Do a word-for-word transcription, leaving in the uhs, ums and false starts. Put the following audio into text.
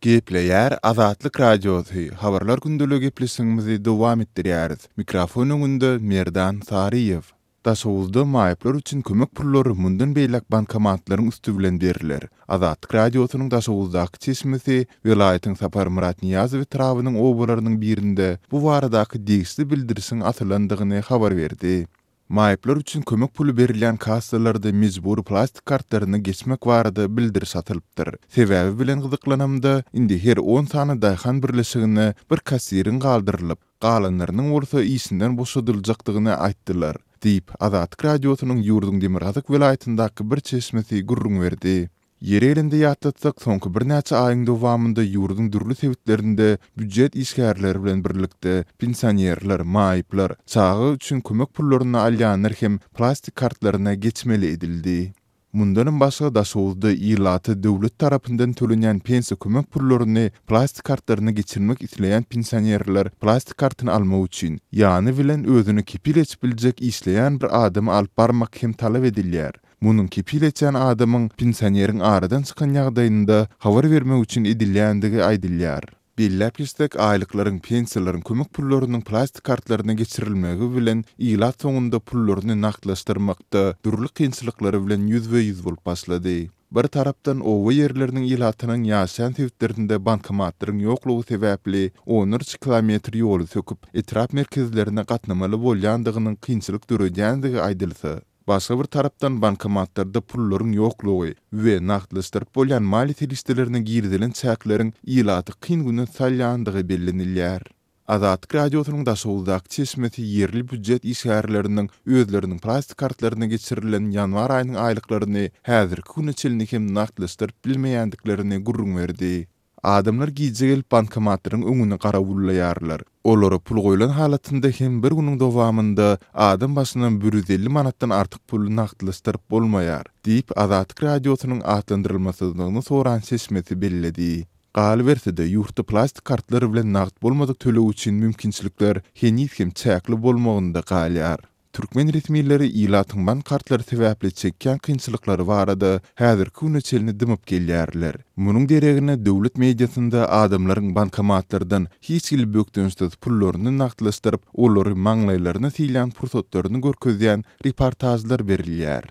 Gepleýär Azatlyk Radiosy, Habarlar gündeligi gepleşigimizi dowam etdirýäris. Mikrofon öňünde Merdan Saryýew. Daşoguzda maýyplar üçin kömek pullary mundan beýläk bankomatlaryň üsti bilen berler. Azatlyk Radiosynyň Daşoguzdaky çeşmesi welaýatyň Saparmyrat Nyýazow etrabynyň obalarynyň birinde bu baradaky degişli bildirişiň asylandygyny habar berdi. Maýyplar üçin kömek puly berilýän kassalarda mejbury plastik kartlaryna geçmek barada bildiriş asylypdyr. Sebäbi bilen gyzyklanamda, indi her on sany daýhan birleşigine bir kassiriň galdyrylyp, galanlarynyň bolsa işinden boşadyljakdygyny aýtdylar, diýip, Azatlyk Radiosynyň ýurduň demirgazyk welaýatyndaky bir çeşmesi gürrüň berdi. Ýeri gelende ýatlatsak, soňky birnäçe aýyň dowamynda ýurduň dürli sebitlerinde býujet işgärleri bilen birlikde pensionerler, maýyplar, çaga üçin kömek pullaryny alýanlar hem plastik kartlaryna geçmeli edildi. Mundanam başga Daşoguzda ilata döwlet tarapyndan tölenýän pensiýa kömek pullaryny plastik kartlaryna geçirmek isleýän pensionerler plastik kartyny almak üçin ýany bilen özüne kepil geçip biljek işleýän bir adamy alyp barmak hem talap edilýär. Munuň kepil geçýän adamyň pensioneriň aradan çykan ýagdaýynda habar bermek üçin edilýändigi aýdylýar. Belläp geçsek, aýlyklaryň, pensiýalaryň, kömek pullarynyň plastik kartlaryna geçirilmegi bilen ilat soňunda pullaryny nagtlaşdyrmakda dürli kynçylyklary bilen ýüzbe-ýüz bolup başlady. Bir tarapdan oba ýerleriniň ilatynyň ýaşaýan sebitlerinde bankomatlaryň ýoklugy sebäpli onlarça kilometr ýoly söküp, etrap merkezlerine gatnamaly bolýandygynyň kynçylyk döredýändigi aýdylsa, başga bir tarapdan bankomatlarda pullaryň ýoklugy we nagtlaşdyryp bolýan maliýe serişdelerine girizilen çäkleriň ilaty kyn güne salýandygy bellenilýär. Azatlyk Radiosynyň Daşoguzdaky çeşmesi ýerli býujet işgärleriniň özleriniň plastik kartlaryna geçirilen ýanwar aýynyň aýlyklaryny häzirki güne çenli hem nagtlaşdyryp bilmeýändiklerini gürrüň berdi. Adamlar gije gelip bankomatlaryň öňüni garawullaýarlar. Olara pul goýlan halatynda hem bir günüň dowamynda adam başyna bir ýüz elli manatdan artyk puly nagtlaşdyryp bolmaýar, diýip, Azatlyk Radiosynyň atlandyrylmasyzlygyny soran çeşmesi belledi. Galyberse-de, ýurtda plastik kartlar bilen nagt bolmadyk töleg üçin mümkinçilikler heniz hem çäkli bolmagynda galýar. Türkmen resmileri ilatyň bank kartlary sebäpli çekýän kynçylyklary barada häzirki güne çenli dymyp gelýärler. Munuň deregine döwlet mediasynda adamlaryň bankomatlardan hiç hili bökdençsiz pullaryny nagtlaşdyryp, olary maňlaýlaryna silýän pursatlaryny görkezýän reportažlar berilýär.